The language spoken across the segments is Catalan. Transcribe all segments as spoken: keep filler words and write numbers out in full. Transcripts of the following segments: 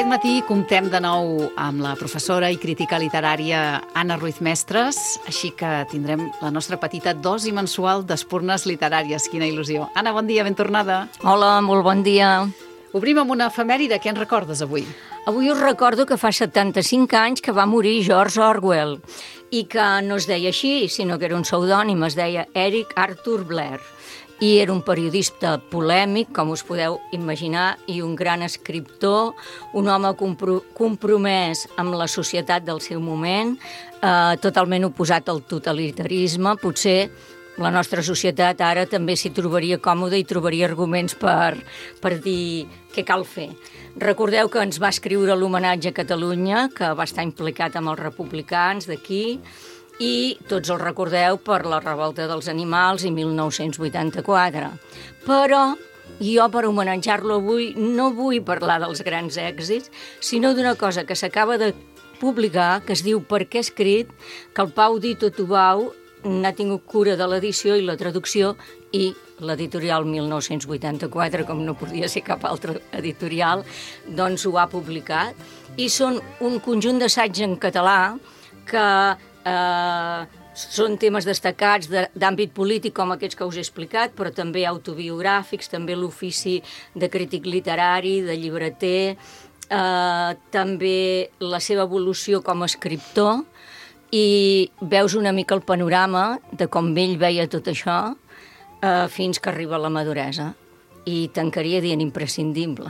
matí comptem de nou amb la professora i crítica literària Anna Ruiz Mestres, així que tindrem la nostra petita dosi mensual d'espurnes literàries. Quina il·lusió. Anna, bon dia, ben tornada. Hola, molt bon dia. Obrim amb una efemèride. Què ens recordes avui? Avui us recordo que fa setanta-cinc anys que va morir George Orwell i que no es deia així, sinó que era un pseudònim, es deia Eric Arthur Blair. I era un periodista polèmic, com us podeu imaginar, i un gran escriptor, un home compro compromès amb la societat del seu moment, eh, totalment oposat al totalitarisme. Potser la nostra societat ara també s'hi trobaria còmoda i trobaria arguments per, per dir què cal fer. Recordeu que ens va escriure l'homenatge a Catalunya, que va estar implicat amb els republicans d'aquí, i tots el recordeu per la revolta dels animals i mil nou-cents vuitanta-quatre. Però jo, per homenatjar-lo avui, no vull parlar dels grans èxits, sinó d'una cosa que s'acaba de publicar, que es diu Per què he escrit, que el Pau Dito Tubau n'ha tingut cura de l'edició i la traducció, i l'editorial mil nou-cents vuitanta-quatre, com no podia ser cap altre editorial, doncs ho ha publicat. I són un conjunt d'assaig en català que eh, són temes destacats d'àmbit polític, com aquests que us he explicat, però també autobiogràfics, també l'ofici de crític literari, de llibreter, eh, també la seva evolució com a escriptor, i veus una mica el panorama de com ell veia tot això eh, fins que arriba a la maduresa. I tancaria dient imprescindible.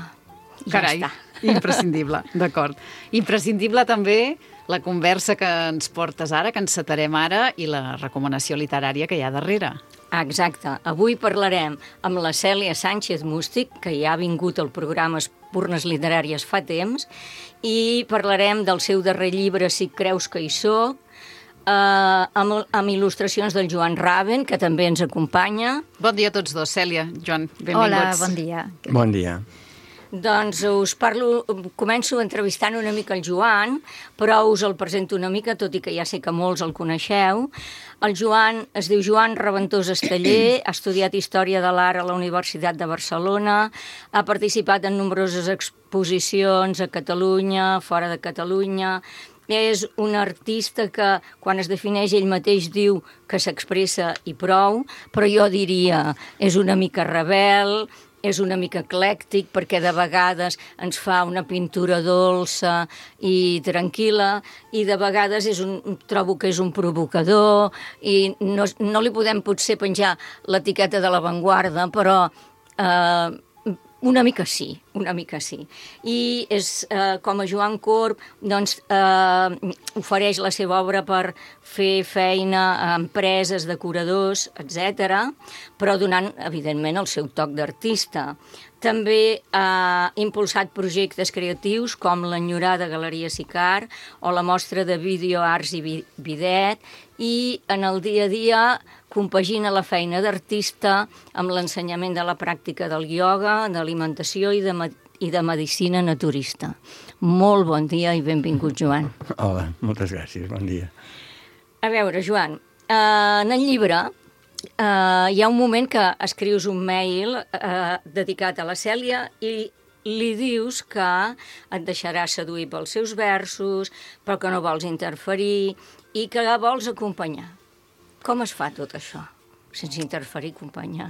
Carai, ja està. Imprescindible, d'acord. Imprescindible també la conversa que ens portes ara, que encetarem ara, i la recomanació literària que hi ha darrere. Exacte. Avui parlarem amb la Cèlia Sánchez Mústic, que ja ha vingut al programa Espurnes Literàries fa temps, i parlarem del seu darrer llibre, Si creus que hi soc, eh, amb, amb il·lustracions del Joan Raven, que també ens acompanya. Bon dia a tots dos. Cèlia, Joan, benvinguts. Hola, bon dia. Bon dia. Doncs us parlo, començo entrevistant una mica el Joan, però us el presento una mica, tot i que ja sé que molts el coneixeu. El Joan es diu Joan Raventós Esteller, ha estudiat Història de l'Art a la Universitat de Barcelona, ha participat en nombroses exposicions a Catalunya, fora de Catalunya. És un artista que, quan es defineix ell mateix, diu que s'expressa i prou, però jo diria és una mica rebel, és una mica eclèctic, perquè de vegades ens fa una pintura dolça i tranquil·la, i de vegades és un, trobo que és un provocador, i no, no li podem potser penjar l'etiqueta de l'avantguarda, però eh, una mica sí, una mica sí. I és, eh, com a Joan Corb, doncs, eh, ofereix la seva obra per fer feina a empreses, decoradors, etcètera, però donant, evidentment, el seu toc d'artista. També ha impulsat projectes creatius com l'enyorada Galeria Sicar o la mostra de videoarts i bidet, i en el dia a dia compagina la feina d'artista amb l'ensenyament de la pràctica del ioga, d'alimentació i de, i de medicina naturista. Molt bon dia i benvingut, Joan. Hola, moltes gràcies, bon dia. A veure, Joan, eh, en el llibre eh, hi ha un moment que escrius un mail eh, dedicat a la Cèlia i li dius que et deixarà seduir pels seus versos, però que no vols interferir i que la vols acompanyar. Com es fa tot això, sense interferir, acompanyar?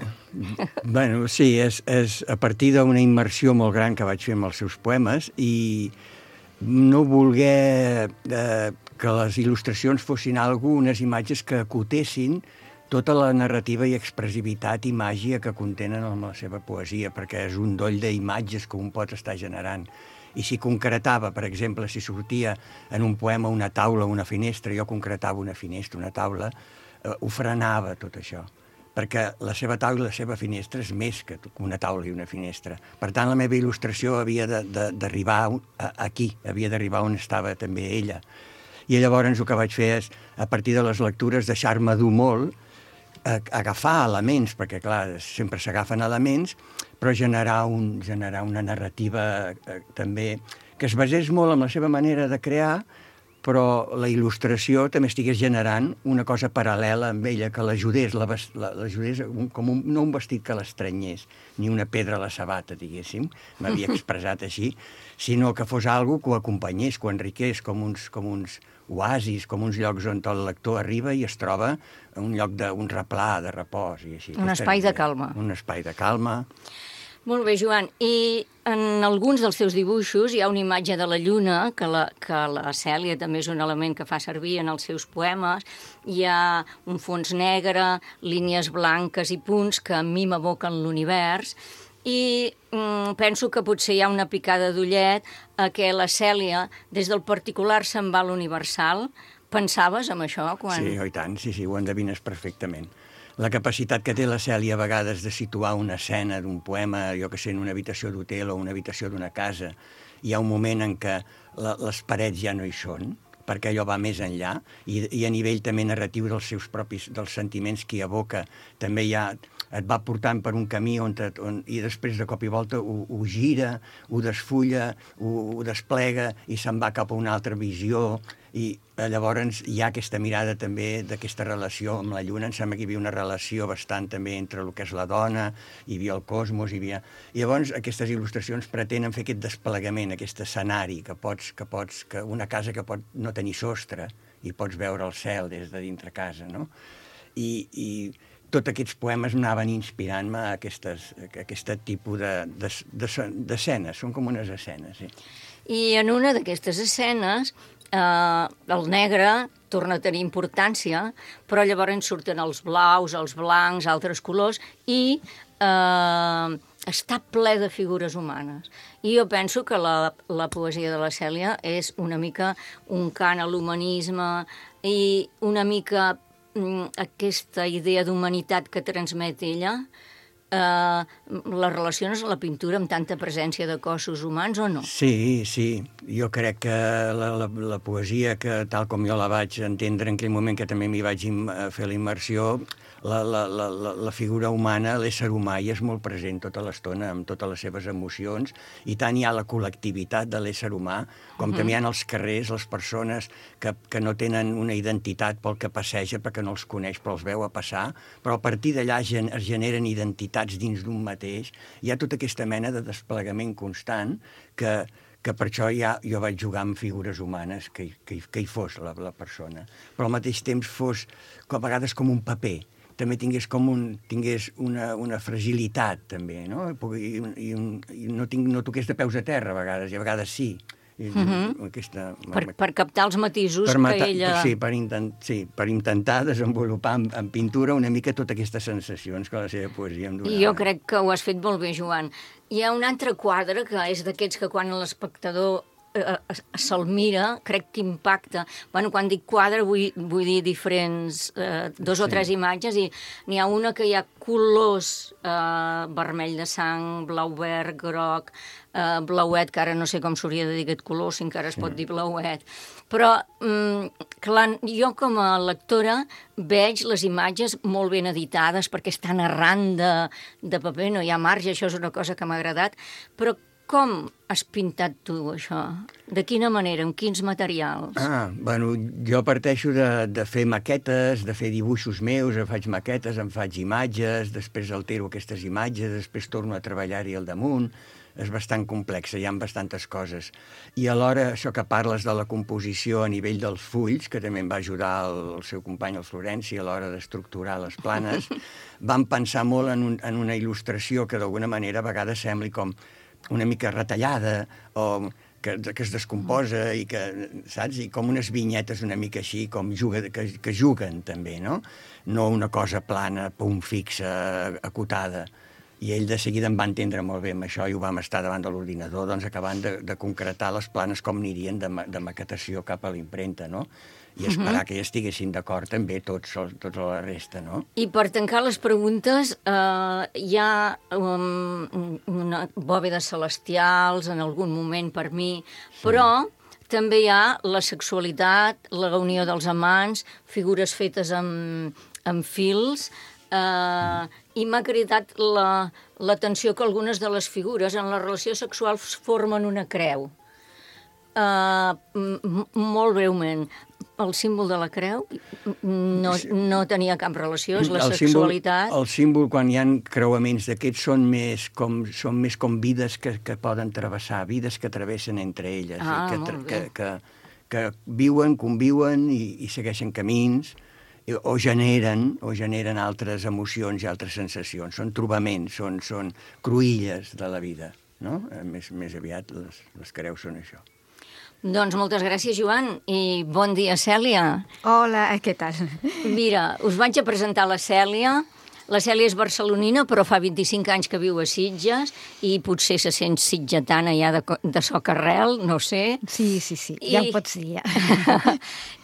Bueno, sí, és, és a partir d'una immersió molt gran que vaig fer amb els seus poemes i no voler eh, que les il·lustracions fossin algunes imatges que acotessin tota la narrativa i expressivitat i màgia que contenen en la seva poesia, perquè és un doll d'imatges que un pot estar generant. I si concretava, per exemple, si sortia en un poema una taula o una finestra, jo concretava una finestra, una taula, eh, ho frenava tot això, perquè la seva taula i la seva finestra és més que una taula i una finestra. Per tant, la meva il·lustració havia d'arribar aquí, havia d'arribar on estava també ella. I llavors el que vaig fer és, a partir de les lectures, deixar-me dur molt, agafar elements, perquè clar, sempre s'agafen elements, però generar, un, generar una narrativa eh, també que es basés molt en la seva manera de crear, però la il·lustració també estigués generant una cosa paral·lela amb ella, que l'ajudés, l'ajudés com un, no un vestit que l'estrenyés, ni una pedra a la sabata, diguéssim, m'havia expressat així, sinó que fos algo que ho acompanyés, que ho enriqués, com uns, com uns oasis, com uns llocs on el lector arriba i es troba un lloc d'un replà, de repòs i així. Un espai de calma. Un espai de calma. Molt bé, Joan. I en alguns dels teus dibuixos hi ha una imatge de la lluna, que la, que la Cèlia també és un element que fa servir en els seus poemes. Hi ha un fons negre, línies blanques i punts que a mi m'evoquen l'univers. I mm, penso que potser hi ha una picada d'ullet a que la Cèlia, des del particular, se'n va a l'universal. Pensaves en això? Quan... Sí, oi tant, sí, sí, ho endevines perfectament. La capacitat que té la Cèlia a vegades de situar una escena d'un poema, jo que sé, en una habitació d'hotel o una habitació d'una casa, hi ha un moment en què la, les parets ja no hi són, perquè allò va més enllà, i, i a nivell també narratiu dels seus propis, dels sentiments que hi evoca, també hi ha, et va portant per un camí on, te, on i després de cop i volta ho, ho gira, ho desfulla, ho, ho desplega i se'n va cap a una altra visió, i llavors hi ha aquesta mirada també d'aquesta relació amb la lluna. Em sembla que hi havia una relació bastant també entre el que és la dona, hi havia el cosmos, hi havia... I llavors aquestes il·lustracions pretenen fer aquest desplegament, aquest escenari, que pots, que pots, que una casa que pot no tenir sostre i pots veure el cel des de dintre casa, no? I, i tots aquests poemes anaven inspirant-me a, aquestes, a aquest tipus d'escenes, de, de, són com unes escenes, sí. I en una d'aquestes escenes eh, el negre torna a tenir importància, però llavors surten els blaus, els blancs, altres colors, i eh, està ple de figures humanes. I jo penso que la, la poesia de la Cèlia és una mica un cant a l'humanisme i una mica mm, aquesta idea d'humanitat que transmet ella. Uh, les relacions a la pintura amb tanta presència de cossos humans o no? Sí, sí. Jo crec que la, la, la poesia, que tal com jo la vaig entendre en aquell moment que també m'hi vaig fer la immersió, la, la, la, la figura humana, l'ésser humà, hi és molt present tota l'estona, amb totes les seves emocions, i tant hi ha la col·lectivitat de l'ésser humà, com uh-huh. també hi ha als carrers les persones que, que no tenen una identitat pel que passeja, perquè no els coneix, però els veu a passar, però a partir d'allà gen, es generen identitats dins d'un mateix. Hi ha tota aquesta mena de desplegament constant que, que per això ja jo vaig jugar amb figures humanes, que, que, que hi fos la, la persona, però al mateix temps fos a vegades com un paper, també tingués com un, tingués una, una fragilitat, també, no? I, i, un, i no, tinc, no toqués de peus a terra, a vegades, i a vegades sí. I, uh-huh. aquesta, per, per captar els matisos per matar, que ella... Sí per, intent, sí, per intentar desenvolupar en, en pintura una mica totes aquestes sensacions que la seva poesia em donava. I jo crec que ho has fet molt bé, Joan. Hi ha un altre quadre que és d'aquests que quan l'espectador se'l mira, crec que impacta. Bueno, quan dic quadre vull, vull dir diferents, eh, dos sí. o tres imatges, i n'hi ha una que hi ha colors eh, vermell de sang, blau verd, groc, eh, blauet, que ara no sé com s'hauria de dir aquest color, si encara es sí. pot dir blauet. Però, mm, clar, jo com a lectora veig les imatges molt ben editades perquè estan arran de, de paper, no hi ha marge, això és una cosa que m'ha agradat, però com has pintat tu, això? De quina manera? Amb quins materials? Ah, bueno, jo parteixo de, de fer maquetes, de fer dibuixos meus, em faig maquetes, em faig imatges, després altero aquestes imatges, després torno a treballar-hi al damunt. És bastant complexa, hi ha bastantes coses. I alhora, això que parles de la composició a nivell dels fulls, que també em va ajudar el, el seu company, el Florenci, a l'hora d'estructurar les planes, vam pensar molt en, un, en una il·lustració que d'alguna manera a vegades sembli com una mica retallada o que, que es descomposa i que, saps? I com unes vinyetes una mica així, com juga, que, que juguen també, no? No una cosa plana, punt fixa, acotada. I ell de seguida em va entendre molt bé amb això i ho vam estar davant de l'ordinador, doncs acabant de, de concretar les planes com anirien de, de maquetació cap a l'impremta, no? I esperar uh-huh. que ja estiguessin d'acord també tots, tots la resta, no? I per tancar les preguntes, eh, hi ha um, una bòvedes celestials en algun moment per mi, sí. però també hi ha la sexualitat, la unió dels amants, figures fetes amb, amb fils, eh, mm. i m'ha cridat l'atenció que algunes de les figures en la relació sexual formen una creu. Uh, molt breument, el símbol de la creu no, no tenia cap relació, és la el sexualitat. Símbol, el símbol, quan hi ha creuaments d'aquests, són més com, són més com vides que, que poden travessar, vides que travessen entre elles, Ah, i que, molt que, bé. que, que viuen, conviuen i, i segueixen camins, o generen, o generen altres emocions i altres sensacions. Són trobaments, són, són cruïlles de la vida, no? Més, més aviat les, les creus són això. Doncs moltes gràcies, Joan, i bon dia, Cèlia. Hola, què tal? Mira, us vaig a presentar la Cèlia. La Cèlia és barcelonina, però fa vint-i-cinc anys que viu a Sitges i potser se sent sitgetana ja de, de soc arrel, no sé. Sí, sí, sí, I... ja em pots dir, ja.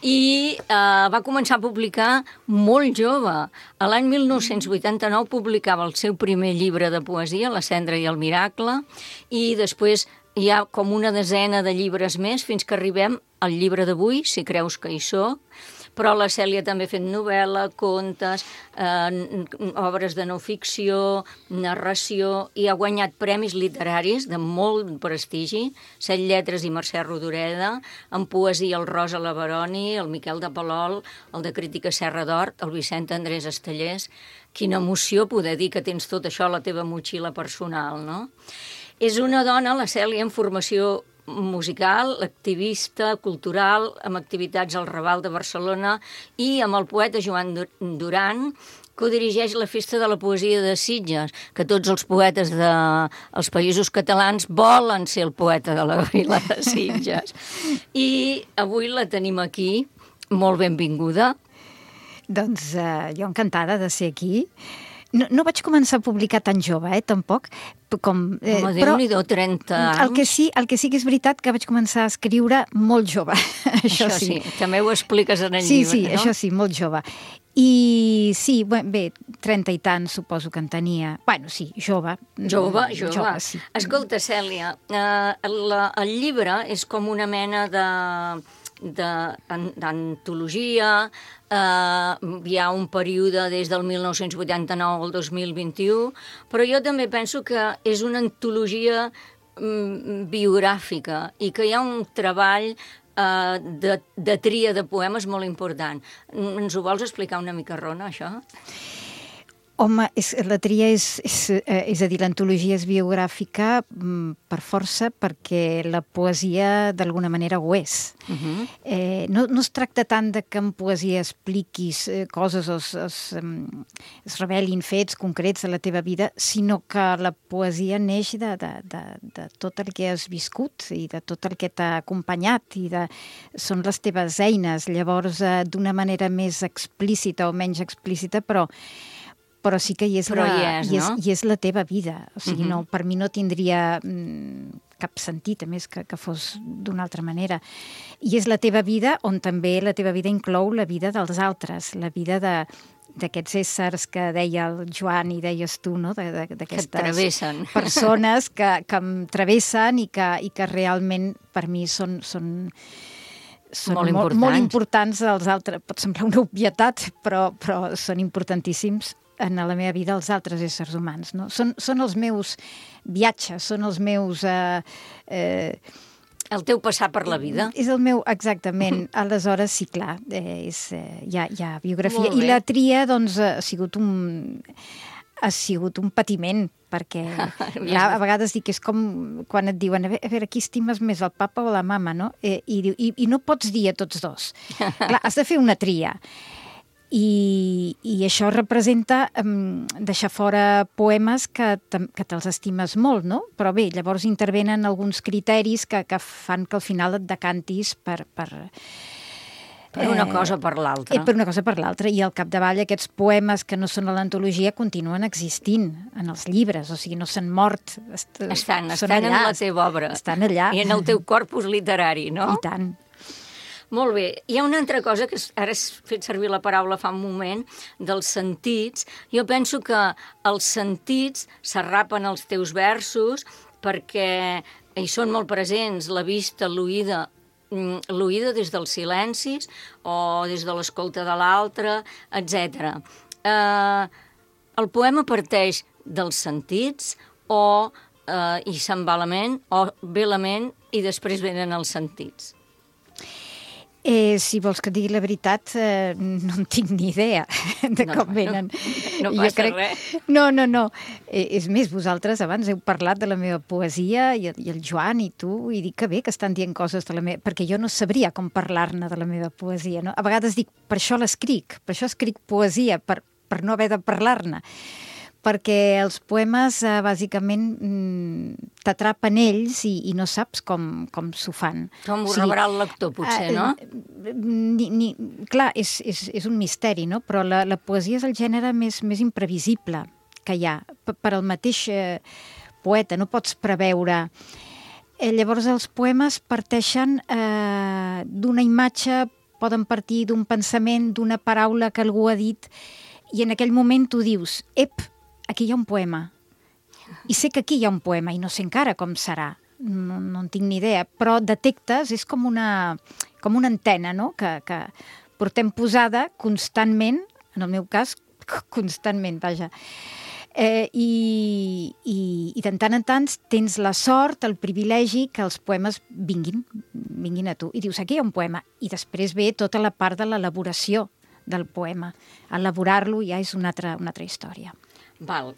I uh, va començar a publicar molt jove. A l'any mil nou-cents vuitanta-nou publicava el seu primer llibre de poesia, La cendra i el miracle, i després hi ha com una desena de llibres més fins que arribem al llibre d'avui, Si creus que hi soc, però la Cèlia també ha fet novel·la, contes, eh, obres de no ficció, narració, i ha guanyat premis literaris de molt prestigi, Set lletres i Mercè Rodoreda, en poesia el Rosa Laveroni, el Miquel de Palol, el de crítica Serra d'Hort, el Vicent Andrés Estellers. Quina emoció poder dir que tens tot això a la teva motxilla personal, no? És una dona, la Cèlia, en formació musical, activista, cultural, amb activitats al Raval de Barcelona i amb el poeta Joan Duran, que dirigeix la Festa de la Poesia de Sitges, que tots els poetes dels països catalans volen ser el poeta de la vila de Sitges. I avui la tenim aquí, molt benvinguda. Doncs uh, jo encantada de ser aquí. No, no vaig començar a publicar tan jove, eh, tampoc. Com, eh, Home, però Déu-n'hi-do, trenta anys. El que, sí, el que sí que és veritat que vaig començar a escriure molt jove. Això, això sí. sí, també ho expliques en el sí, llibre, sí, no? Sí, això sí, molt jove. I sí, bé, trenta i tant suposo que en tenia. Bueno, sí, jove. Jove, jove. jove sí. Escolta, Cèlia, eh, la, el llibre és com una mena de d'antologia, eh, hi ha un període des del mil nou-cents vuitanta-nou al dos mil vint-i-u, però jo també penso que és una antologia mm, biogràfica i que hi ha un treball eh, de, de tria de poemes molt important. Ens ho vols explicar una mica, Rona, això? Home, és, la tria és, és, és a dir, l'antologia és biogràfica per força perquè la poesia d'alguna manera ho és. Uh-huh. eh, no, no es tracta tant de que en poesia expliquis eh, coses o es, es, es revelin fets concrets de la teva vida, sinó que la poesia neix de, de, de, de tot el que has viscut i de tot el que t'ha acompanyat i de, són les teves eines. Llavors, eh, d'una manera més explícita o menys explícita, però però sí que hi és, però la, hi és, hi és, no? hi és la teva vida. O sigui, uh-huh. no, per mi no tindria mm, cap sentit, a més, que, que fos d'una altra manera. I és la teva vida on també la teva vida inclou la vida dels altres, la vida de d'aquests éssers que deia el Joan i deies tu, no? d'aquestes persones que, que em travessen i que, i que realment per mi són... són són molt importants. molt importants els altres. Pot semblar una obvietat, però, però són importantíssims en la meva vida els altres éssers humans. No? Són, són els meus viatges, són els meus... Eh, eh, el teu passar per la vida. És el meu, exactament. Aleshores, sí, clar, eh, és, eh, hi, ha, hi ha biografia. I la tria, doncs, ha sigut un... ha sigut un patiment, perquè ja, a vegades dic que és com quan et diuen a veure, a veure qui estimes més, el papa o la mama, no? Eh, i, i, i no pots dir a tots dos. Clar, has de fer una tria. I, i això representa um, deixar fora poemes que, que te'ls estimes molt, no? Però bé, llavors intervenen alguns criteris que, que fan que al final et decantis per... per Per una cosa o per l'altra. Eh, per una cosa o per l'altra. I al capdavall aquests poemes que no són a l'antologia continuen existint en els llibres, o sigui, no s'han mort. Est estan, estan allà, en la teva obra. Estan allà. I en el teu corpus literari, no? I tant. Molt bé. Hi ha una altra cosa, que ara has fet servir la paraula fa un moment, dels sentits. Jo penso que els sentits s'arrapen als teus versos perquè hi són molt presents la vista, l'oïda, l'oïda des dels silencis o des de l'escolta de l'altre, etcètera. Eh, el poema parteix dels sentits o eh, i se'n va la ment, o ve la ment i després venen els sentits? Eh, si vols que et digui la veritat, eh, no en tinc ni idea de No, com no, venen. no Jo passa res. No, no, no. Eh, és més, vosaltres abans heu parlat de la meva poesia i, i el Joan i tu, i dic que bé que estan dient coses de la meva... Perquè jo no sabria com parlar-ne de la meva poesia, no? A vegades dic, per això l'escric, per això escric poesia, per, per no haver de parlar-ne. Perquè els poemes, eh, bàsicament, mm, t'atrapen ells i, i no saps com, com s'ho fan. Com ho rebrà el lector, potser, no? Ni, ni, clar, és, és, és un misteri, no? Però la, la poesia és el gènere més, més imprevisible que hi ha. Per, per al mateix eh, poeta, no pots preveure. Eh, llavors, els poemes parteixen eh, d'una imatge, poden partir d'un pensament, d'una paraula que algú ha dit, i en aquell moment tu dius, ep, aquí hi ha un poema. I sé que aquí hi ha un poema, i no sé encara com serà. No, no en tinc ni idea, però detectes, és com una, com una antena, no?, que, que portem posada constantment, en el meu cas, constantment, vaja. Eh, i, i, I de tant en tant tens la sort, el privilegi que els poemes vinguin, vinguin a tu. I dius, aquí hi ha un poema. I després ve tota la part de l'elaboració del poema. Elaborar-lo ja és una altra, una altra història. Val.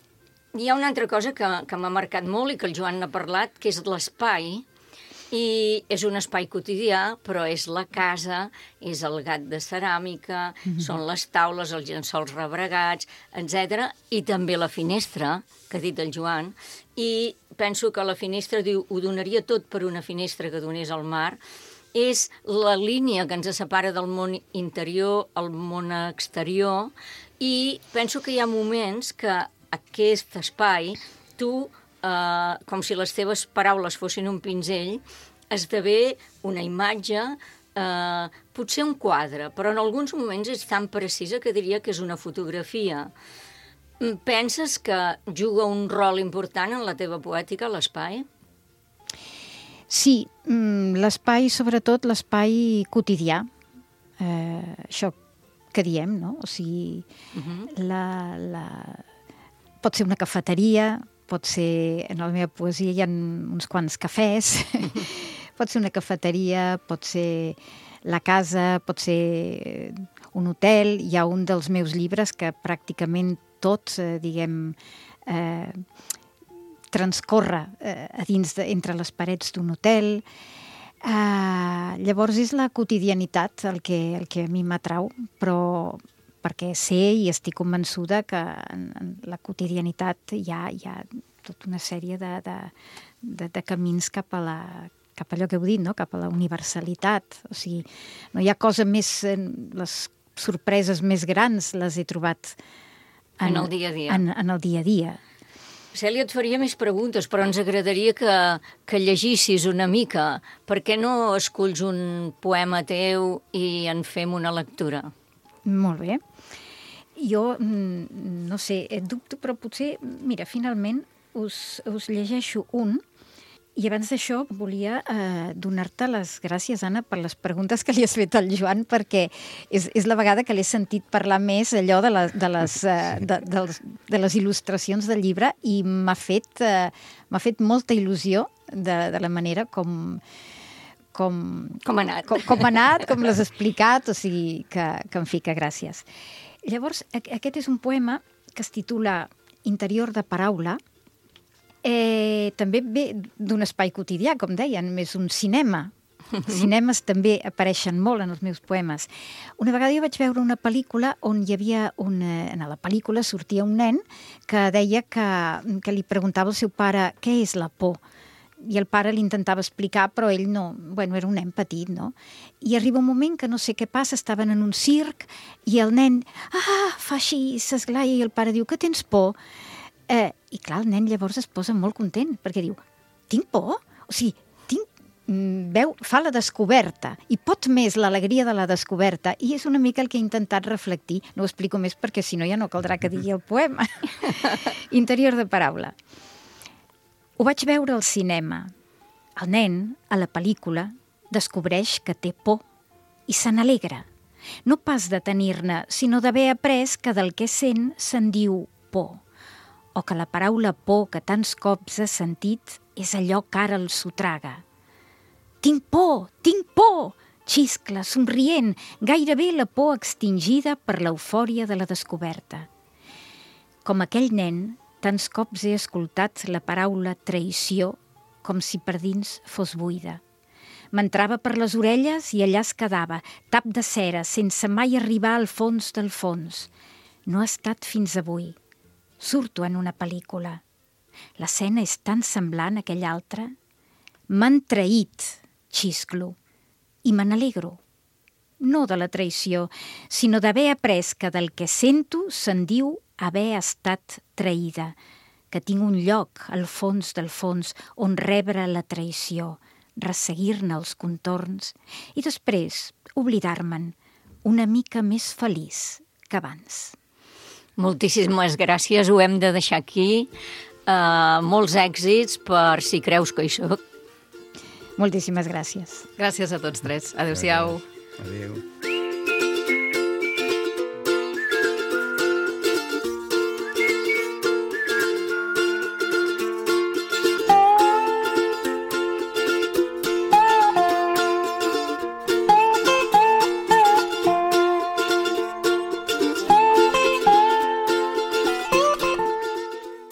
Hi ha una altra cosa que, que m'ha marcat molt i que el Joan n'ha parlat, que és l'espai, i és un espai quotidià, però és la casa, és el gat de ceràmica, mm-hmm. són les taules, els llençols rebregats, etcètera, i també la finestra, que ha dit el Joan, i penso que la finestra, diu, ho donaria tot per una finestra que donés al mar, és la línia que ens separa del món interior al món exterior, i penso que hi ha moments que aquest espai, tu, eh, com si les teves paraules fossin un pinzell, esdevé una imatge, eh, potser un quadre, però en alguns moments és tan precisa que diria que és una fotografia. Penses que juga un rol important en la teva poètica, l'espai? Sí, l'espai, sobretot l'espai quotidià, eh, això que diem, no? O sigui, uh-huh. la, la... pot ser una cafeteria, pot ser, en la meva poesia hi ha uns quants cafès, pot ser una cafeteria, pot ser la casa, pot ser un hotel. Hi ha un dels meus llibres que pràcticament tot, eh, diguem, eh, transcorre eh, a dins de, entre les parets d'un hotel. Uh, llavors és la quotidianitat el que, el que a mi m'atrau, però perquè sé i estic convençuda que en, en la quotidianitat hi ha, hi ha tota una sèrie de, de, de, de camins cap a la, cap a allò que heu dit, no? Cap a la universalitat. O sigui, no hi ha cosa més... Les sorpreses més grans les he trobat en, en el dia a dia. En, en el dia a dia. Cèlia, et faria més preguntes, però ens agradaria que, que llegissis una mica. Per què no esculls un poema teu i en fem una lectura? Molt bé. Jo, no sé, dubto, però potser, mira, finalment us, us llegeixo un. I abans d'això volia eh, donar-te les gràcies, Anna, per les preguntes que li has fet al Joan, perquè és, és la vegada que l'he sentit parlar més allò de, la, de, les, eh, de, de, les, de les il·lustracions del llibre, i m'ha fet, eh, m'ha fet molta il·lusió de, de la manera com... Com, com ha anat. Com, com ha anat, com l'has explicat, o sigui, que, que en fi, que gràcies. Llavors, aquest és un poema que es titula Interior de paraula. Eh, també ve d'un espai quotidià, com deien, més un cinema. Els cinemes també apareixen molt en els meus poemes. Una vegada jo vaig veure una pel·lícula on hi havia una... En la pel·lícula sortia un nen que deia que, que li preguntava al seu pare què és la por. I el pare li intentava explicar, però ell no... Bueno, era un nen petit, no? I arriba un moment que no sé què passa, estaven en un circ i el nen, ah, fa així, s'esglaia, i el pare diu, que tens por? Eh, I clar, el nen llavors es posa molt content, perquè diu, tinc por? O sigui, tinc... Veu, fa la descoberta, i pot més l'alegria de la descoberta, i és una mica el que he intentat reflectir. No ho explico més perquè si no ja no caldrà que digui el poema. Interior de paraula. Ho vaig veure al cinema. El nen, a la pel·lícula, descobreix que té por i se n'alegra. No pas de tenir-ne, sinó d'haver après que del que sent se'n diu por. o que la paraula por que tants cops has sentit és allò que ara el sotraga. Tinc por, tinc por! Xiscla, somrient, gairebé la por extingida per l'eufòria de la descoberta. Com aquell nen, tants cops he escoltat la paraula traïció com si per dins fos buida. M'entrava per les orelles i allà es quedava, tap de cera, sense mai arribar al fons del fons. No ha estat fins avui. Surto en una pel·lícula. L'escena és tan semblant a aquella altra. M'han traït, xisclo, i me n'alegro. No de la traïció, sinó d'haver après que del que sento se'n diu haver estat traïda, que tinc un lloc al fons del fons on rebre la traïció, resseguir-ne els contorns i després oblidar-me'n una mica més feliç que abans. Moltíssimes gràcies, ho hem de deixar aquí. Uh, molts èxits per Si creus que hi soc. Moltíssimes gràcies. Gràcies a tots tres. Adéu-siau. Adéu.